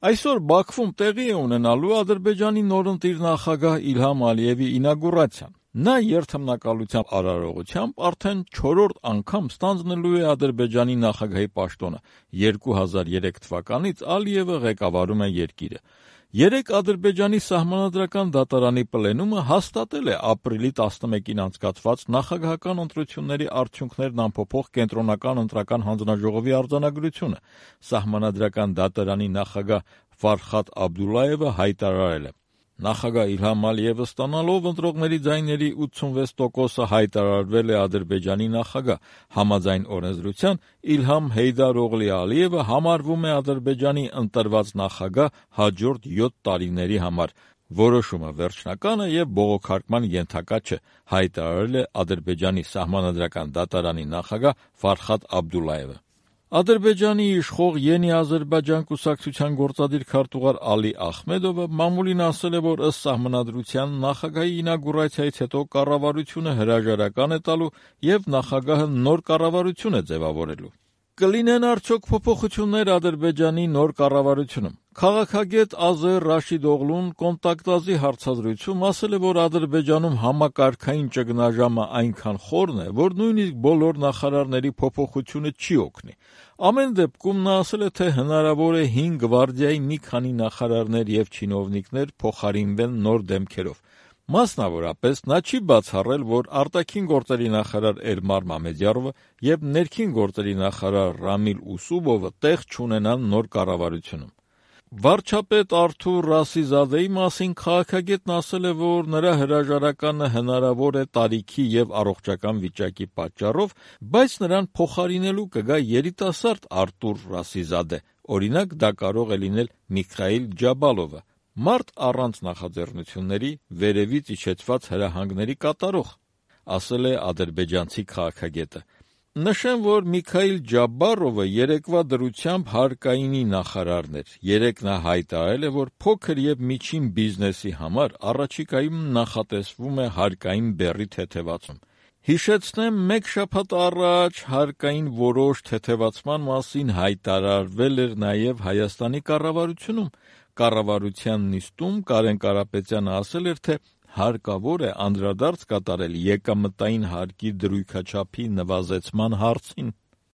Այսօր Բաքվում տեղի է ունենալու Ադրբեջանի նորընտիր նախագահ Իլհամ Ալիևի ինագուրացիան։ Նա երթմնակալությամբ արարողությամբ արդեն 4-րդ անգամ ստանձնելու է Ադրբեջանի նախագահի պաշտոնը։ 2003 թվականից Ալիևը ղեկավարում է երկիրը։ Երեկ Ադրբեջանի սահմանադրական դատարանի պլենումը հաստատել է ապրիլի 11-ին անցկացված նախագահական ընտրությունների արդյունքներն ամփոփող կենտրոնական ընտրական հանձնաժողովի արձանագրությունը։ Սահմանադրական դատարանի նախագահ Ֆարխադ Աբդուլլայևը հայտարարել է. Նախագահ Իլհամ Ալիևը ստանալով ընտրողների ձայների 86%-ը հայտարարվել է Ադրբեջանի նախագահ։ Համաձայն օրենսդրության Իլհամ Հեյդար Օղլի Ալիևը համարվում է Ադրբեջանի ընտրված նախագահ հաջորդ 7 տարիների համար։ Որոշումը վերջնական է և բողոքարկման ենթակա չէ, հայտարարել է Ադրբեջանի սահմանադրական դատարանի նախագահ Ֆարխադ Աբդուլլայևը։ Ադրբեջանի իշխող Ենի Ադրբեջան կուսակցության գործադիր քարտուղար Ալի Ախմեդովը մամուլին ասել է, որ ըստ սահմանադրության նախագահի ինագուրացիայից հետո կառավարությունը հրաժարական է տալու և նախագահը նոր կառավարություն է ձևավորելու։ Կլինեն արդյոք փոփոխություններ Ադրբեջանի նոր կառավարությունում։ Քաղաքագետ Ազեր Ռաշիդ Օղլուն «Կոնտակտ»-ի հարցազրույցում ասել է, որ Ադրբեջանում համակարգային ճգնաժամը այնքան խորն է, որ նույնիսկ բոլոր նախարարների փոփոխությունը չի օգնի։ Ամեն դեպքում նա ասել է, թե հնարավոր է 5 գվարդիայի մի քանի նախարարներ և չինովնիկներ փոխարինվեն նոր դեմքերով։ Մասնավորապես, նա չի բացառել, որ արտաքին գործերի նախարար Էլմար Մամեդյարովը և ներքին գործերի նախարար Ռամիլ Ուսուբովը տեղ չունենան նոր կառավարությունում։ Վարչապետ Արթուր Ռասիզադեի մասին քաղաքագետն ասել է, որ նրա հրաժարականը հնարավոր է տարիքի և առողջական վիճակի պատճառով, բայց նրան փոխարինելու կգա երիտասարդ Արտուր Ռասիզադե, օրինակ դա կարող է լինել Միքայիլ Ջաբալովը, մարդ առանց նախաձեռնությունների, վերևից իջեցված հրահանգների կատարող, ասել է ադրբեջանցի քաղաքագետը։ Նշեմ, որ Միքայիլ Ջաբարովը երեկվա դրությամբ հարկայինի նախարարն էր։ Երեկ նա հայտարարել է, որ փոքր և միջին բիզնեսի համար առաջիկայում նախատեսվում է հարկային բեռի թեթևացում։ Հիշեցնեմ, մեկ շաբաթ առաջ հարկային որոշ թեթևացման մասին հայտարարվել էր նաև Հայաստանի կառավարությունում։ Կառավարության նիստում Կարեն Կարապետյանը ասել էր, թե հարկավոր է անդրադարձ կատարել եկամտային հարկի դրույքաչափի նվազեցման հարցին։